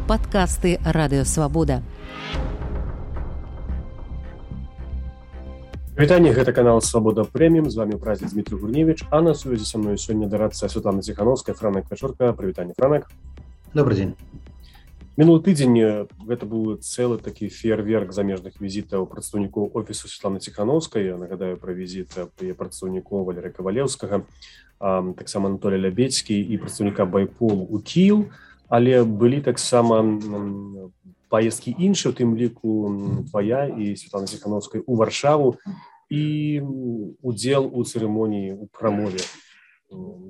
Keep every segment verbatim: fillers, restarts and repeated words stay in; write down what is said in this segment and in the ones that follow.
падкасты Радыёвабода. Вітанне, гэта канал Свабода Прэміум, з вами ў празе Дмітрий Гурневич, а на сувязі са мной сёння дарадца Святлана Ціхановская, Франак Пячорка. Прывітанне, Франак. Добрый дзень. Мінулы тыдзень гэта быў цэлы такі феерверк замежных візітаў прадстаўнікоў офісу Святланы Ціхановскай. Я нагадаю пра візіт прадстаўнікоў Валерыя Кавалеўскага, таксама Анатолія Лябедзькі і прадстаўніка Байполу ў Кіеў, але былі таксама паездкі іншыя, у тым ліку твая і Святланы Ціхановскай у Варшаву і удзел у цырымоніі у прамове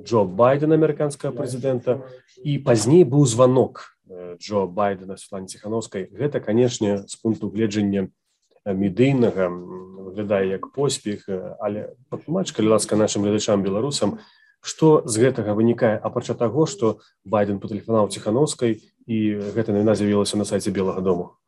Джо Байдена, амерыканскага прэзідэнта, і пазней быў званок Джо Байдена Святлане Ціхановскай. Гэта, канешне, з пункту гледжання медыйнага выглядае як поспех, але патлумач, калі ласка, нашым гледачам беларусам, што з гэтага вынікае, апрача таго, што Байден патэлефанаваў Ціхановскай і гэта навіна з'явілася на сайце Белага дому.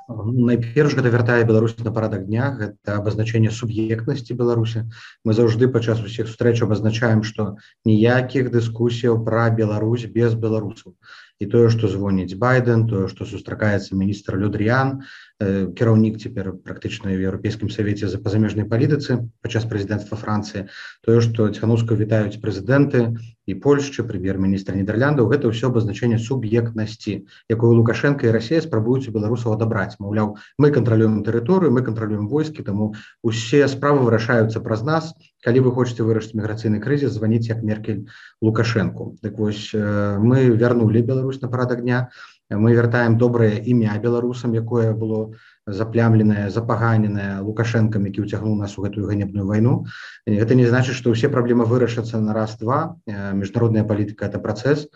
Найперш гэта вяртае Беларусь на парадак дня, гэта абазначэнне суб'ектнасці Беларусі. Мы заўжды падчас усіх сустрэч абазначаем, што ніякіх дыскусіяў пра Беларусь без беларусаў. І тое, што звоніць Байден, тое, што сустракаецца міністр Ле Дрыян, кіраўнік цяпер практычна ў Еўрапейскім савеце за пазамежнай палітыцы падчас прэзідэнцтва Францыі, тое, што Ціхановскую вітаюць прэзідэнты і Польшчы, прэм'ер-міністр Нідэрляндаў, гэта ўсё абазначэнне суб'ектнасці, якую Лукашенко і Расія спрабуюць у беларусаў адабраць. Маўляў, мы кантралюем тэрыторыю, мы кантралюем войскі, таму усе справы вырашаюцца праз нас. Калі вы хочаце вырашыць міграцыйны крызіс, званіце як Меркель Лукашенку. Так вось, мы вярнулі Беларусь на парадак дня, мы вяртаем добрае імя беларусам, якое было заплямленае, запаганенае Лукашэнкам, які ўцягнуў нас у гэтую ганебную вайну. Гэта не значыць, што ўсе праблемы вырашацца на раз-два. Міжнародная палітыка – это працэс,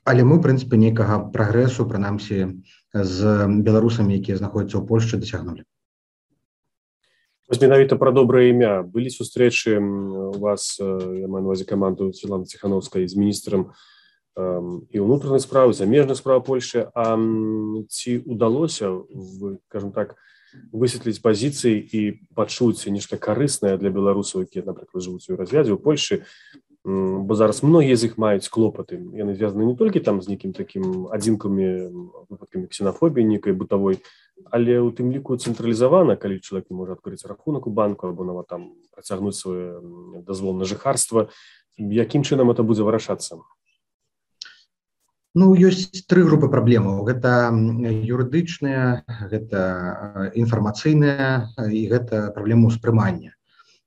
але мы, у прынцыпе, нейкага прагрэсу, прынамсі, з беларусамі, якія знаходзяцца ў Польшчы, дасягнулі. Вось менавіта пра добрае імя. Былі сустрэчы у вас, я маю на ўвазе каманду Святланы Ціхановскай з міністрам і ўнутраных справ, замежных справ Польшчы. А ці ўдалося, скажем так, высветліць пазіцыі і пачуць нешта карыснае для беларусаў, якія, напрыклад, жывуць у развядзе ў Польшчы, бо зараз многія з іх маюць клопаты. Яны звязаны не толькі там з нейкім такім адзінкамі выпадкамі ксенафобіі нейкай бытавой, але ў тым ліку цэнтралізавана, калі чалавек не можа адкрыць рахунак у банку або нават там працягнуць свой дазвол на жыхарства. Якім чынам это будзе вырашацца? Ну, ёсць тры групы праблемаў. Гэта юрыдычныя, гэта інфармацыйныя і гэта праблема ўспрымання.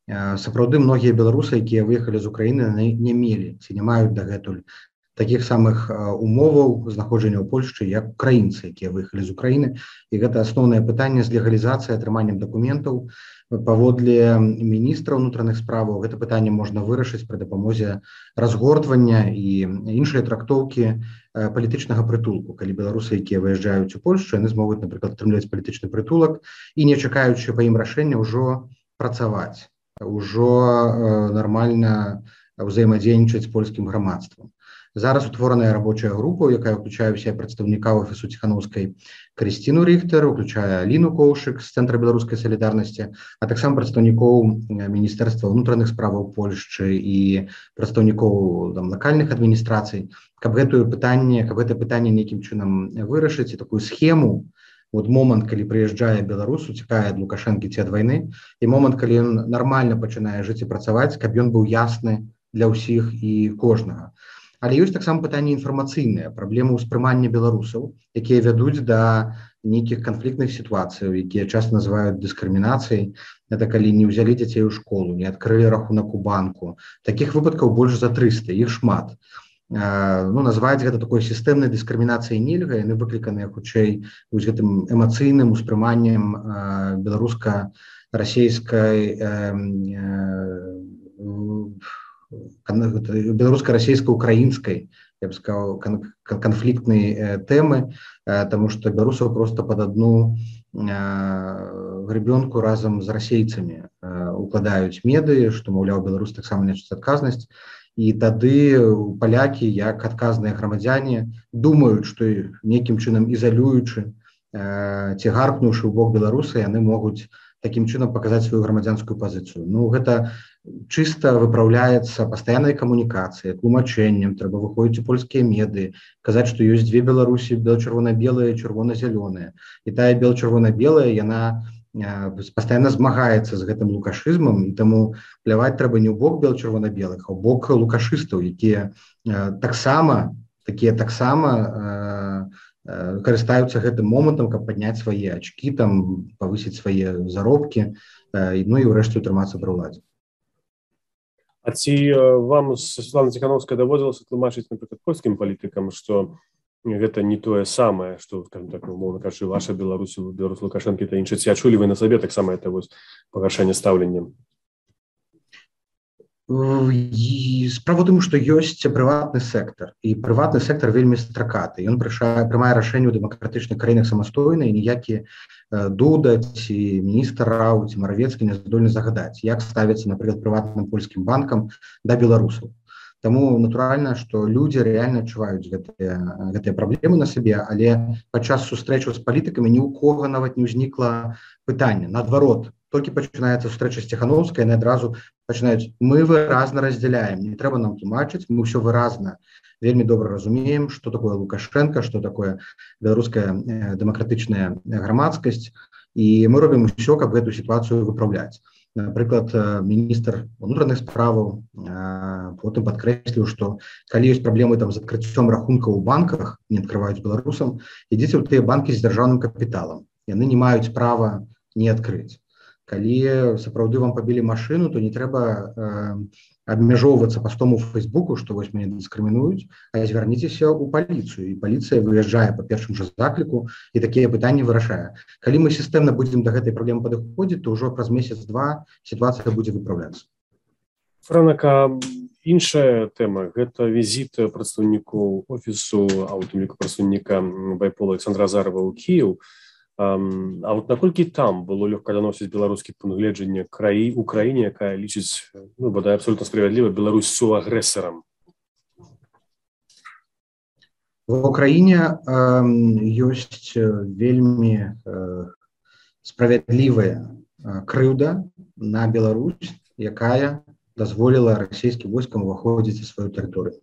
Сапраўды, многія беларусы, якія выехалі з Украіны, не мелі ці не маюць дагэтуль такіх самых умоваў знаходжання ў Польшчы, як украінцы, якія выехалі з Украіны. І гэта асноўнае пытанне з легалізацыяй, атрыманнем дакументаў. Паводле міністра ўнутраных справаў гэта пытанне можна вырашыць пры дапамозе разгортвання і іншай трактоўкі палітычнага прытулку. Калі беларусы, якія выязджаюць у Польшчу, яны змогуць, напрыклад, атрымліваць палітычны прытулак і, не чакаючы па ім рашэння, ўжо працаваць, ўжо нармальна ўзаемадзейнічаць з польскім грамадствам. Зараз утвораная рабочая група, якая ўключае ўсе прадстаўніка офісу Ціхановскай Крысціну Ріхтер, уключае Аліну Коўшык з Цэнтра беларускай салідарнасці, а таксама прадстаўнікоў Міністэрства ўнутраных справаў Польшчы і прадстаўнікоў там лакальных адміністрацый, каб гэтае пытанне, каб гэта пытанне нейкім чынам вырашыць і такую схему, от момант, калі прыязджае беларус, уцякае ад Лукашэнкі ці ад вайны, і момант, калі ён нармальна пачынае жыць і працаваць, каб ён быў ясны для ўсіх і кожнага. Але ёсць таксама пытанне інфармацыйнае, праблемы ўспрымання беларусаў, якія вядуць да нейкіх канфліктных сітуацый, якія часта называюць дыскрымінацыяй. Гэта калі не ўзялі дзяцей у школу, не адкрылі рахунак у банку. Такіх выпадкаў больш за трыста, іх шмат. Ну, назваць гэта такой сістэмнай дыскрымінацыяй нельга, яны выкліканыя хутчэй вось гэтым эмацыйным успрыманнем беларуска-расейскай беларуска-расейска-украінскай, я б сказаў, канфліктнай тэмы, таму што беларусаў проста пад адну гребёнку разам з расейцамі укладаюць медыі, што, маўляў, беларус таксама несуць адказнасць. І тады палякі, як адказныя грамадзяне, думаюць, што нейкім чынам ізалюючы ці гаркнуўшы ў бок беларуса, яны могуць такім чынам паказаць сваю грамадзянскую пазіцыю. Ну, гэта чыста выпраўляецца пастаяннай камунікацыяй, тлумачэннем, трэба выходзіць у польскія медыі, казаць, што ёсць дзве Беларусі, бел-чырвона-белыя, чырвона-зялёныя. І тая бел-чырвона-белая, яна пастаянна змагаецца з гэтым лукашызмам, і таму пляваць трэба не ў бок бел-чырвона-белых, а ў бок лукашыстаў, якія таксама такія таксама карыстаюцца гэтым момантам, каб падняць свае ачкі, там павысіць свае заробкі, ну і ўрэшце утрымацца пры ўладзе. А ці вам з Святланай Ціхановскай даводзілася тлумачыць, напрыклад, польскім палітыкам, што гэта не тое самае, што, скажем так, умоўна кажучы, ваша Беларусь, Беларусь Лукашэнкі, та іншае, ці адчулі вы на сабе таксама это вось пагаршэнне стаўлення? Справа ў тым, што ёсць прыватны сектар, і прыватны сектар вельмі стракаты. Ён прымае рашэнне ў дэмакратычных краінах самастойна, і ніякі Дуда ці міністр Рау ці Маравецкі не здольны загадаць, як ставіцца, напрыклад, прыватным польскім банкам да беларусаў. Таму натуральна, што людзі рэальна адчуваюць гэтыя, гэтыя праблемы на сабе, але падчас сустрэчаў з палітыкамі ні ў кого нават не ўзнікла пытання. Наадварот, толькі пачынаецца сустрэча з Ціхановскай, яны адразу пачынаюць: мы выразна раздзяляем, не трэба нам тлумачыць, мы ўсё выразна вельмі добра разумеем, што такое Лукашенко, што такое беларуская дэмакратычная грамадскасць, і мы робім усё, каб гэту сітуацыю выпраўляць. Напрыклад, міністр унутраных справаў потым падкрэсліў, што калі ёсць праблемы там з адкрыццём рахункаў у банках, не адкрываюць беларусам, ідзіце ў тыя банкі з дзяржаўным капіталам, яны не маюць права не адкрыць. Калі сапраўды вам пабілі машыну, то не трэба э, абмяжоўвацца пастом у Фейсбуку, што вось мяне дыскрымінуюць, а звярніцеся ў паліцыю, і паліцыя выязджае па першым жа закліку і такія пытанні вырашае. Калі мы сістэмна будзем да гэтай праблемы падыходзіць, то ўжо праз месяц-два сітуацыя будзе выпраўляцца. Франака, іншая тэма – гэта візіт прадстаўнікоў офісу, а ў тым ліку прадстаўніка Байпола Александра Азарова ў Кіеў. Um, а вот наколькі там было лёгка даносіць беларускі пункт гледжання краі у краіне, якая лічыць, ну, бадай абсолютно справядліва, Беларусь суагрэсарам? В Украіне э, ёсць вельмі э, справядлівая э, крыўда на Беларусь, якая дазволіла расійскім войскам уваходзіць у сваю тэрыторыю.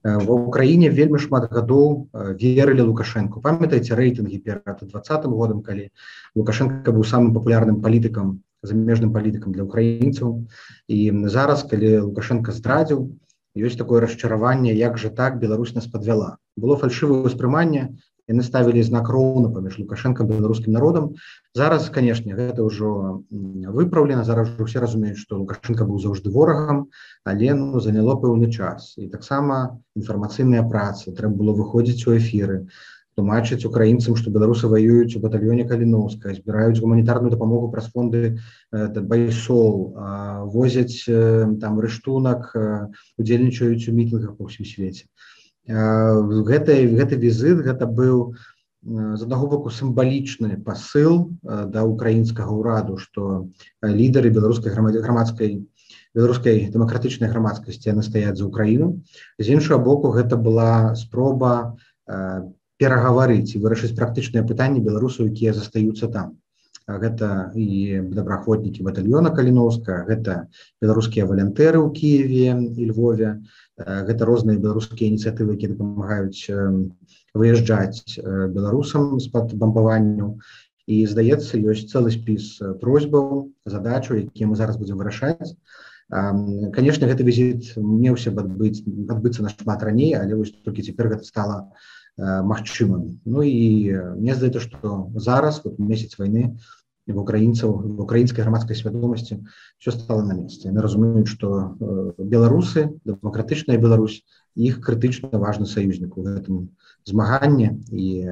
Ва ўкраіне вельмі шмат гадоў верылі Лукашэнку. Памятаеце рэйтынгі перад двадцатым годам, калі Лукашенко быў самым папулярным палітыкам, замежным палітыкам для украінцаў. І зараз, калі Лукашенко здрадзіў, ёсць такое расчараванне, як жа так Беларусь нас падвяла. Было фальшывае ўспрыманне, яны ставілі знак роўна паміж Лукашенко і беларускім народам. Зараз, канешне, гэта ўжо выпраўлена, зараз ўжо ўсе разумеюць, што Лукашенко быў заўжды ворагам, але ну, заняло пэўны час. І таксама інфармацыйныя працы, трэба было выходзіць у эфіры, тлумачыць украінцам, што беларусы ваююць у батальёне Каліноўска, збіраюць гуманітарную дапамогу праз фонды Байсол, возяць там рыштунак, удзельнічаюць у мітынгах па ўсім свеце. Гэты, гэты візит, гэта быў з аднаго боку сімвалічны пасыл да украінскага ўраду, што лідары беларускай грамадскай, беларускай дэмакратычнай грамадскасці яны стаяць за Украіну. З іншага боку, гэта была спроба перагаварыць і вырашыць практычныя пытанні беларусаў, якія застаюцца там. Гэта і добраахвотнікі батальёна Каліноўска, гэта беларускія валянтэры ў Кіеве і Львове, гэта розныя беларускія ініцыятывы, якія дапамагаюць выязджаць беларусам з-пад бамбаванняў. І, здаецца, ёсць цэлы спіс просьбаў, задачаў, якія мы зараз будзем вырашаць. Канешне, гэты візіт меўся б адбыць, адбыцца нашмат раней, але вось толькі цяпер гэта стала магчымым. Ну і мне здаецца, што зараз, вот месяц вайны, в украінцаў, в украінскай грамадскай свядомасці все стало на месцы. Яны разумеюць, што беларусы, дэмакратычная Беларусь, іх крытычна важны саюзнік у гэтым змаганні, і,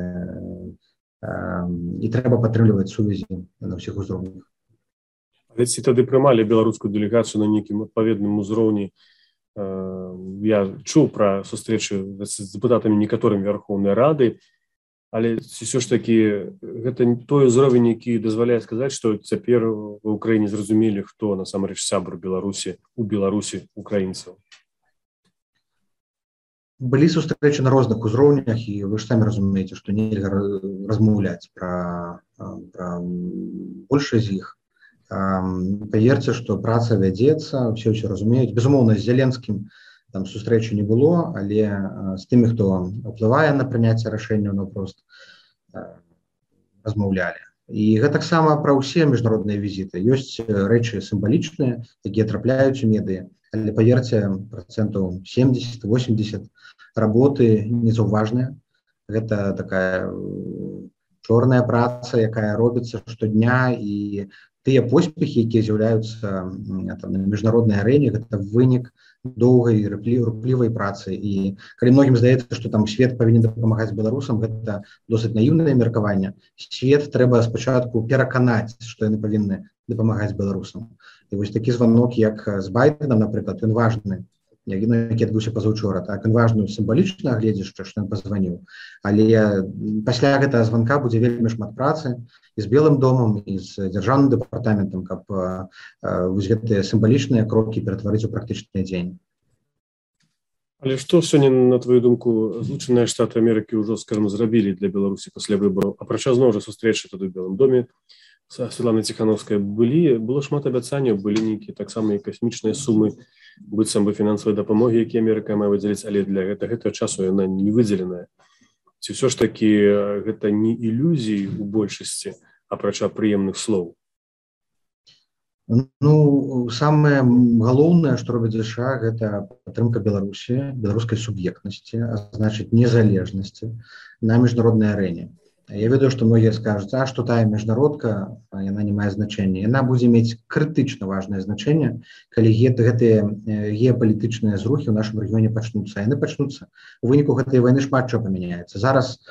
і трэба падтрымліваць сувязі на ўсіх узроўнях. Але ці тады прымалі беларускую дэлегацыю на нейкім адпаведным узроўні? Я чуў пра сустрэчы з дэпутатамі некаторымі Верхоўнай Рады, але ўсё ж такі гэта той узровень, які дазваляе сказаць, што цяпер ва ўкраіне зразумелі, хто насамрэч сябар Беларусі у Беларусі украінцаў. Былі сустрэчы на розных узроўнях, і вы ж самі разумееце, што нельга размаўляць пра, пра большасць з іх. Паверце, што праца вядзецца, все ўсё разумеюць. Безумоўна, з Зеленскім там сустрэчы не было, але з тымі, хто ўплывае на прыняцце рашэнняў, наўпрост размаўлялі. І гэтаксама пра ўсе міжнародныя візіты. Ёсць рэчы сімвалічныя, якія трапляюць у медыі, але паверце, працэнтаў семьдесят-восемьдесят работы незаўважныя. Гэта такая чорная праца, якая робіцца штодня, і тыя поспехі, якія з'яўляюцца на міжнароднай арэне, гэта вынік доўгай руплівай працы. І калі многім здаецца, што там свет павінен дапамагаць беларусам, гэта досыць наіўнае меркаванне. Свет трэба спачатку пераканаць, што яны павінны дапамагаць беларусам. І вось такі званок, як з Байденам, напрыклад, ён важны, які адбыўся пазаўчора, так, ён важны сімвалічна гледзячы, што ён пазваніў. Але пасля гэтага званка будзе вельмі шмат працы і з Белым домам, і з дзяржаўным дэпартаментам, каб вось гэтыя сімвалічныя крокі ператварыць у практычны дзень. Але што сёння, на твою думку, Злучаныя Штаты Амерыкі ўжо, скажем, зрабілі для Беларусі пасля выбараў? Апрача зноў жа сустрэчы тады ў Белым доме са Святланай Ціханаўскай былі, было шмат абяцанняў, былі нейкія таксама і касмічныя сумы быццам бы фінансавай дапамогі, які Амерыка мае выдзеліць, але для гэтага часу яна не выдзеленая. Ці ўсё ж такі гэта не ілюзіі ў большасці, апрача прыемных слоў? Ну, самае галоўнае, што робіць ЗША, гэта падтрымка Беларусі, беларускай суб'ектнасці, а значыць незалежнасці на міжнароднай арэне. Я ведаю, што многія скажуць, а што тая міжнародка, яна не мае значэння. Яна будзе мець крытычна важнае значэнне, калі гэтыя геапалітычныя зрухі ў нашым рэгіёне пачнуцца. Яны пачнуцца. У выніку гэтай вайны шмат чаго памяняецца. Зараз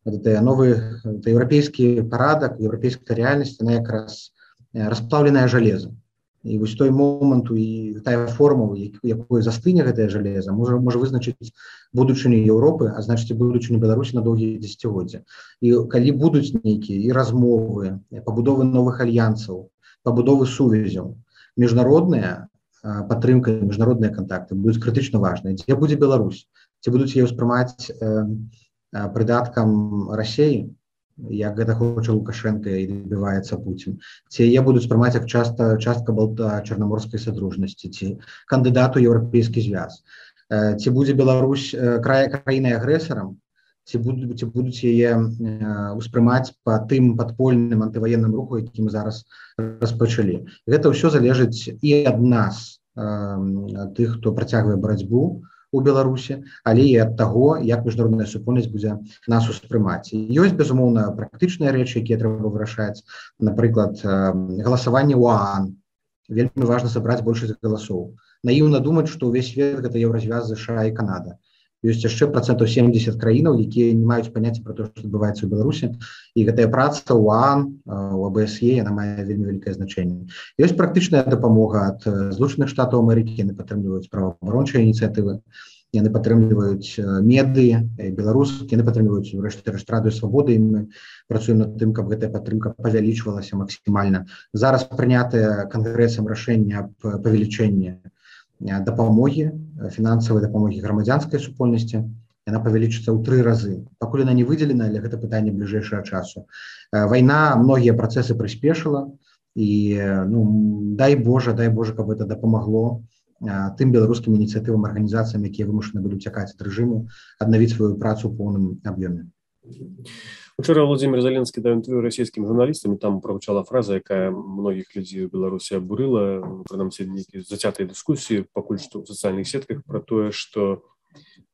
новы еўрапейскі парадак, еўрапейская рэальнасць, яна якраз расплаўленае жалеза. І вось той момант і тая формула, якой застыне гэтае жалеза, можа, можа вызначыць будучыню Еўропы, а значыць будучыню Беларусі на доўгія дзесяцігоддзі. І калі будуць нейкія і размовы, пабудовы новых альянсаў, пабудовы сувязяў, міжнародная падтрымка, міжнародныя кантакты будуць крытычна важныя. Дзе будзе Беларусь? Ці будуць яе ўспрымаць прыдаткам Расіі, як гэта хоча Лукашенко і добіваецца Пуцін, ці яе будуць спрымаць як часта, частка балта-чарнаморскай садружнасці, ці кандыдат у еўрапейскі звяз, ці будзе Беларусь краінай агрэсарам, ці будуць, ці будуць яе ўспрымаць па тым падпольным антываенным руху, які мы зараз распачалі. Гэта ўсё залежыць і ад нас, тых, хто працягвае барацьбу у Беларусі, але і ад таго, як міжнародная супольнасць будзе нас успрымаць. Ёсць, безумоўна, практычныя рэчы, якія трэба вырашаць. Напрыклад, галасаванне ў ААН. Вельмі важна сабраць большасць галасоў. Наіўна думаць, што ўвесь свет гэта еўразвяз, ЗША і Канада. Ёсць яшчэ працэнтаў семьдесят краінаў, якія не маюць паняцця пра тое, што адбываецца ў Беларусі. І гэтая праца ў ААН, у АБСЕ, яна мае вельмі вялікае значэнне. Ёсць практычная дапамога ад Злучаных Штатаў Амерыкі, яны падтрымліваюць праваабарончыя ініцыятывы, яны падтрымліваюць медыі, беларускі, яны падтрымліваюць урэшце рэшт Радыё Свабоды, і мы працуем над тым, каб гэтая падтрымка павялічвалася максімальна. Зараз прынятае кангрэсам рашэнне аб павелічэнні дапамогі, фінансавай дапамогі грамадзянскай супольнасці, яна павялічыцца ў тры разы. Пакуль яна не выдзелена, але гэта пытанне бліжэйшага часу. Вайна многія працэсы прыспешыла, і ну, дай Божа, дай Божа, каб гэта дапамагло тым беларускім ініцыятывам, арганізацыям, якія вымушаны былі ўцякаць ад рэжыму, аднавіць сваю працу ў поўным аб'ёме. Учора Владимир Зеленскі даў інтэрв'ю расійскім журналістам, і там прагучала фраза, якая многіх людзей у Беларусі абурыла, прынамсі нейкія зацятыя дыскусіі пакуль што ў сацыяльных сетках пра тое, што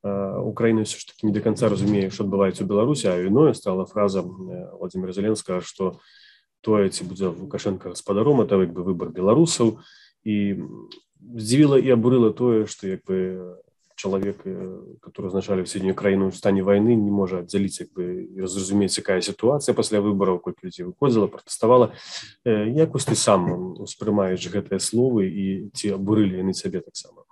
Украіна ўсё ж такі не да канца разумее, што адбываецца ў Беларусі, а віною стала фраза Владимира Зеленскага, што тое, ці будзе Лукашенко гаспадаром, это як бы выбар беларусаў, і здзівіла і абурыла тое, што як бы чалавек, который узначаліў сёння краіну ў стане вайны, не можа аддзяліць як бы і зразумець, якая сітуацыя пасля выбараў, колькі людзей выходзіла, пратэставала. Як вось ты сам успрымаеш гэтыя словы і ці абурылі яны цябе таксама?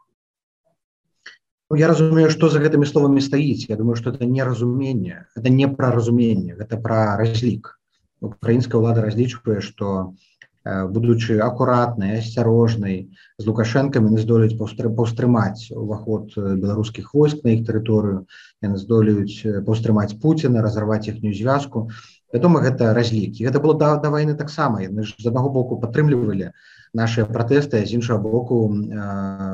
Ну, я разумею, што за гэтымі словамі стаіць. Я думаю, што это не разуменне, это не пра разуменне, гэта пра разлік. Украінская ўлада разлічвае, што будучы акуратнай, асцярожнай, з Лукашэнкам яны здолеюць паўстрымаць уваход беларускіх войск на іх тэрыторыю, яны здолеюць паўстрымаць Пуціна, разарваць іхнюю звязку. Вядома, гэта разлік. І гэта было да, да вайны таксама. Яны ж з аднаго боку падтрымлівалі нашыя пратэсты, а з іншага боку э,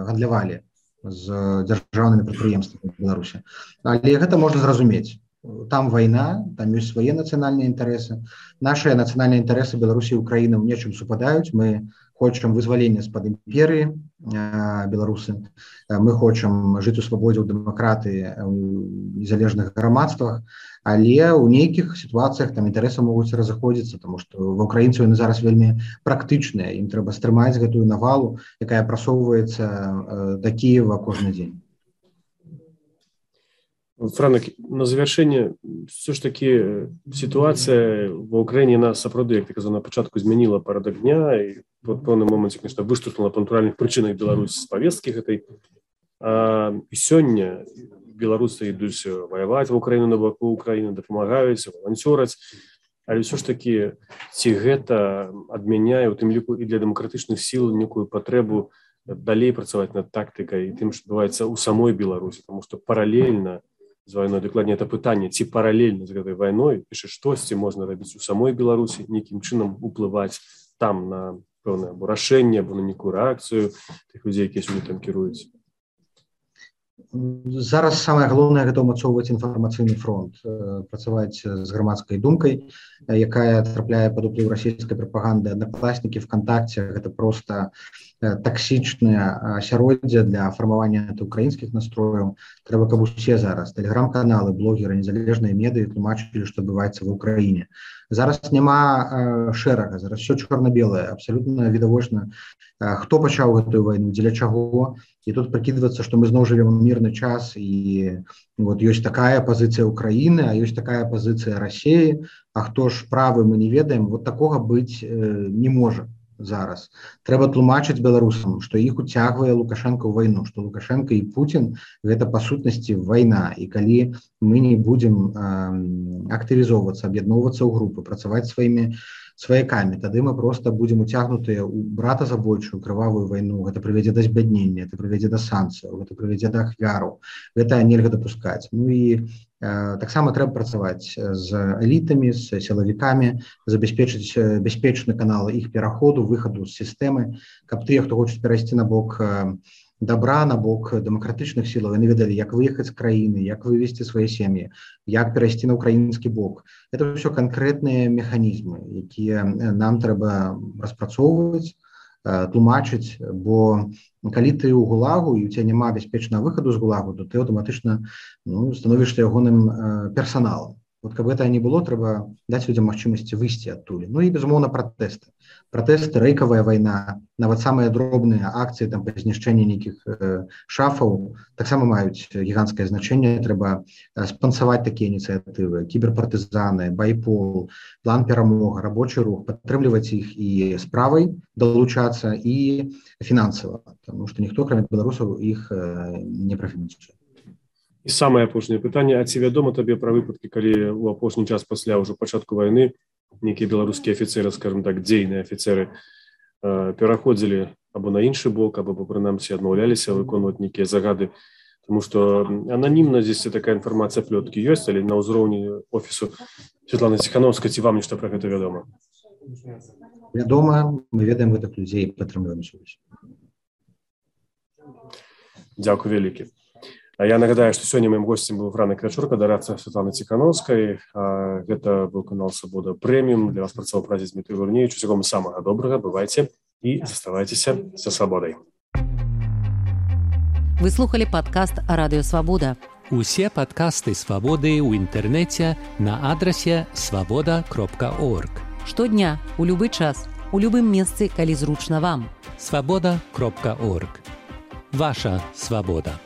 гандлявалі з дзяржаўнымі прадпрыемствамі Беларусі. Але гэта можна зразумець. Там вайна, там ёсць свае нацыянальныя інтарэсы. Нашыя нацыянальныя інтарэсы Беларусі і Украіны ў нечым супадаюць. Мы хочам вызвалення з-пад імперыі э, беларусы. Мы хочам жыць у свабодзе, ў дэмакратыі, у незалежных грамадствах. Але ў нейкіх сітуацыях там інтарэсы могуць разыходзіцца, тому што ва ўкраінцаў яны зараз вельмі практычныя. Ім трэба стрымаць гэтую навалу, якая прасоўваецца э, да Кіева кожны дзень. Франак, на завершэнне, все ж таки сітуацыя ва Ўкраіне нас сапраўды, як ты казаў, на пачатку змяніла парадак дня, і в пэўным моманце, конечно, выштурхнула па натуральных прычынах Беларусь з павесткі гэтай. А, і сёння беларусы ідуць ваяваць ва Ўкраіну на баку Ўкраіны, дапамагаюць, валанцёраць, але ўсё ж таки ці гэта адмяняе, у тым ліку і для дэмакратычных сіл, некую патрэбу далей працаваць над тактыкай і тым, што адбываецца ў самой Беларусі, тому што паралельна з вайной, дакладней, это пытанне, ці паралельна з гэтай вайной, яшчэ штосьці можна рабіць у самой Беларусі, нейкім чынам уплываць там на пэўнае або рашэнне, або на нейкую рэакцыю тых людзей, якія сюды там кіруюць. Зараз самае галоўнае гэта ўмацоўваць інфармацыйны фронт, працаваць з грамадскай думкай, якая трапляе пад уплыў расійскай прапаганды. Аднакласнікі, ВКонтакце гэта проста таксічнае асяроддзе для фармавання антыукраінскіх настрояў. Трэба, каб усе зараз тэлеграм-каналы, блогеры, незалежныя медыі тлумачылі, што адбываецца ва Ўкраіне. Зараз няма шэрага, зараз все чорна-белае, абсалютна відавочна, хто пачаў гэтую вайну, дзеля чаго. І тут прыкідвацца, што мы зноў жывем у мірны час, і вот ёсць такая пазіцыя Ўкраіны, а ёсць такая пазіцыя Расіі, а хто ж правы, мы не ведаем. Вот такога быць не можа зараз. Трэба тлумачыць беларусам, што іх уцягвае Лукашенко ў вайну, што Лукашенко і Путін гэта па сутнасці вайна. І калі мы не будзем актывізоўвацца, аб'ядноўвацца ў групы, працаваць сваімі сваякамі, тады мы проста будзем уцягнутыя ў братазабойчую крывавую вайну. Гэта прывядзе да збяднення, гэта прывядзе да санкцыяў, гэта прывядзе да ахвяраў. Гэта нельга дапускаць. Ну і э, таксама трэба працаваць з элітамі, з сілавікамі, забяспечыць бяспечны канал іх пераходу, выхаду з сістэмы, каб тыя, хто хочуць перайсці на бок э, добра, на бок дэмакратычных сілаў, яны ведалі, як выехаць з краіны, як вывесці свае сем'і, як перайсці на ўкраінскі бок. Это ўсё канкрэтныя механізмы, якія нам трэба распрацоўваць, тлумачыць, бо калі ты ў гулагу і у цябе няма бяспечнага выхаду з гулагу, то ты аўтаматычна ну, становішся ягоным персаналам. Вот каб гэта не было, трэба даць людзям магчымасці выйсці адтуль. Ну і, безумоўна, пратэсты. Пратэсты, рэйкавая вайна, нават самыя дробныя акцыі там, па знішчэнні нейкіх э, шафаў таксама маюць гіганцкае значэнне. Трэба э, спансаваць такія ініцыятывы, кіберпартызаны, байпол, план перамога, рабочы рух, падтрымліваць іх і справай далучацца, і фінансава, таму што ніхто, кроме беларусаў, іх э, не прафінансуе. І самае апошняе пытанне, а ці вядома табе пра выпадкі, калі ў апошні час пасля ўжо пачатку вайны нейкія беларускія афіцеры, скажем так, дзейныя афіцеры э, пераходзілі або на іншы бок, або, прынамсі, адмаўляліся выконваць нейкія загады, тому што ананімна здесь такая інфармацыя, плёткі ёсць, але на ўзроўні офісу Святланы Ціханаўскай, ці вам нешта пра гэта вядома? Вядома, мы ведаем гэтых людзей і падтрымліваем сувязь. Дзякуй вялікі. Я нагадаю, што сёння маім госцем быў Франак Вячорка, дарадца Святланы Ціханаўскай. Гэта быў канал «Свабода Прэміум». Для вас працаваў прадзед Дмітрый Гурневіч. Усяго вам самага добрага, бывайце і заставайцеся са свабодай. Вы слухали падкаст «Радыё Свабода». Усе падкасты «Свабоды» ў інтэрнэце на адрасе свабода кропка орг. Штодня, у любы час, у любым месцы, калі зручна вам. свабода кропка орг. Ваша свабода.